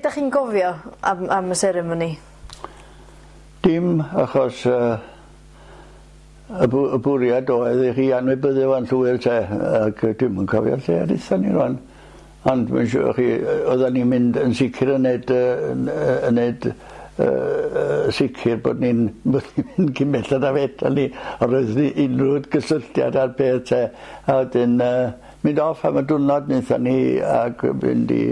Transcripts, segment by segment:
Be 'dach chi'n gofio am am y seremoni? Dim achos yy y bw- y bwriad oedd i chi anwybyddu fo'n llwyr te ac yy dwi'm yn cofio lle aethon ni rŵan. Ond mae'n siŵr chi yy oeddan ni'n mynd yn sicr yn neud yy yn yy yn neud yy yy sicr bod ni'n bod ni'n mynd cyn belled â fedran ni os oes ni unrhyw gysylltiad â'r peth te a wedyn yy mynd off am y diwrnod nethon ni ag fynd i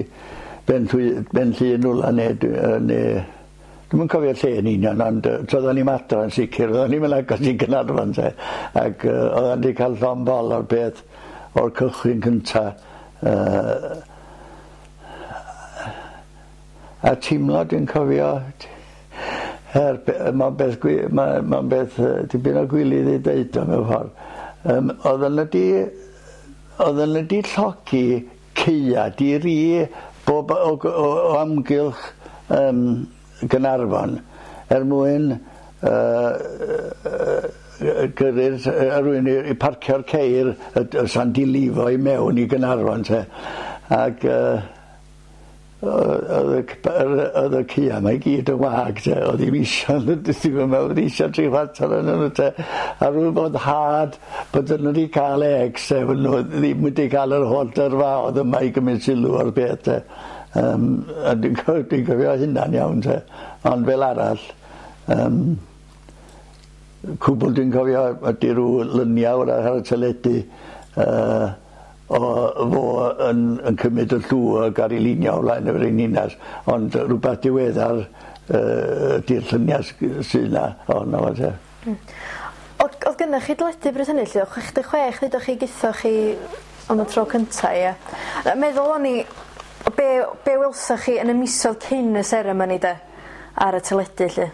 Ben Llwy- Ben Llŷn rwla ne' dwi yy ne' Dwi'm yn cofio lle yn union ond yy toeddan ni'm adra yn sicr oeddan ni'm yn agos i Gaernarfon te ac yy oeddan ni ca'l llond bol o'r peth o'r cychwyn cynta yy a teimlo dwi'n cofio er be- yy ma'n beth gwi- ma' ma'n beth yy dipyn o gwilydd i deud o mewn ffor yym oeddan n'w 'di oeddan n'w 'di llogi caea di-ri bob o o o amgylch yym Gaernarfon er mwyn yy yy gyrru'r yy rywun i i parcio'r ceir y d- sa'n dilifo i mewn i Gaernarfon te ag yy oedd y c- yr oedd y caea 'ma i gyd yn wag te oedd ddim isio dwi'm yn meddwl bod isio tri chwarter ohonyn nhw te a rhyw foddhad bod nhw wedi cael egs te bod nhw ddim wedi cael yr holl dyrfaodd yma i gymryd sylw o'r peth te. Yym a dwi'n co- dwi'n cofio hynna'n iawn te ond fel arall yym cwbl dwi'n cofio ydi rw lynia 'w'rach ar y teledu yy o fo yn yn cymryd y llw ag ar ei linia o flaen y frenhines ond rwbath diweddar yy ydi'r llynia sy 'na ohono fo te. Hmm. O'dd o'dd gynnoch chi deledu bryd hynny 'lly o' 66 ddeudwch chi gethoch chi am y tro cynta ie? Yy meddwl o'n i o be' be' welsoch chi yn y misoedd cyn y seremoni de? Ar y teledu 'lly?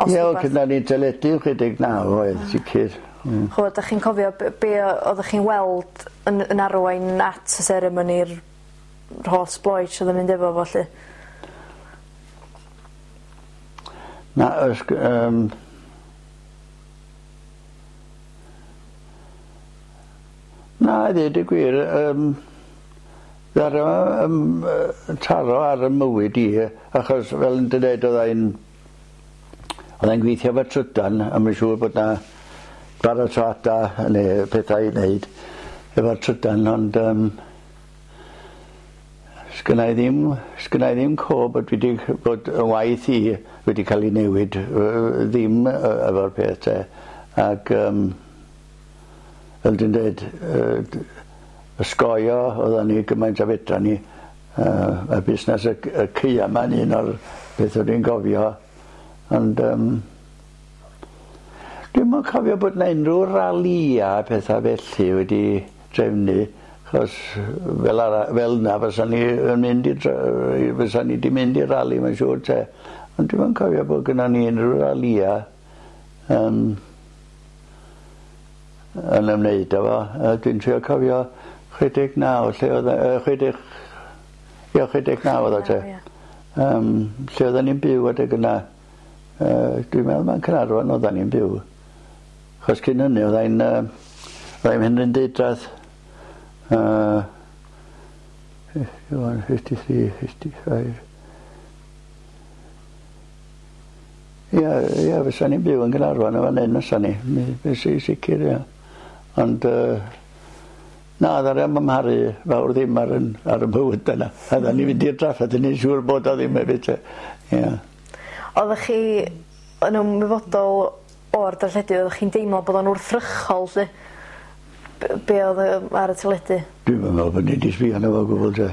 Os Ie wel rwbath. cynna ni teledu 69 oedd sicir. Hmm. Ch'mod 'dach chi'n cofio b- be' o- oddach chi'n weld yn yn arwain at y seremoni'r yr holl sbloets o'dd yn mynd efo fo 'lly? Na ys- g- yym Na i ddeud y gwir yym ddaru o yym yy taro ar 'y mywyd i achos fel o'n i'n deud odda i'n odda i'n gweithio efo trydan a mae'n siŵr bod 'na baratoada neu pethau i wneud efo'r trydan ond yym sgynna i ddim sgynna i ddim co bod fi 'di bod 'yn waith i wedi cael ei newid yy ddim yy efo'r peth 'te ag yym fel dwi'n deud yy ysgoio oeddan ni gymaint a fedra ni yy y busnes y y caea 'ma'n un o'r petha dwi'n gofio ond yym dwi'm yn cofio bod 'na unryw ralïa a petha felly wedi trefnu achos fel ara- fel 'na fysan ni yn mynd i dre- fysan ni 'di mynd i rali mae'n siŵr 'te ond dwi'm yn cofio bod gynnon ni unryw ralïa yym yn ymwneud â fo. Yy dwi'n trio cofio 69 lle oedd yy chwedeg ie 69 oedd o te. Yym lle oedden ni'n byw adeg yna. Yy dwi'n meddwl ma'n Caernarfon oedden ni'n byw. Achos cyn hynny odda i'n yy odda i'n Mhenrhyndeudraeth. Yy 51, 53, 55. Ia ia fysa ni'n byw yn Gaernarfon yn fan 'yn fysa ni. Mi fysa i sicir ia. Ond yy na ddaru o'm amharu fawr ddim ar 'yn ar 'yn bywyde na. A dda ni fynd i'r drafferth i neu' siŵr bod o ddim hefyd 'te. Ia. Oddach chi yn ymwybodol o'r darlledu oddach chi'n deimlo bod o'n wrthrychol 'lly? Be' be' o'dd yy ar y teledu? Dwi'm yn me'wl bod ni 'di sbio arno fo o gwbwl 'te.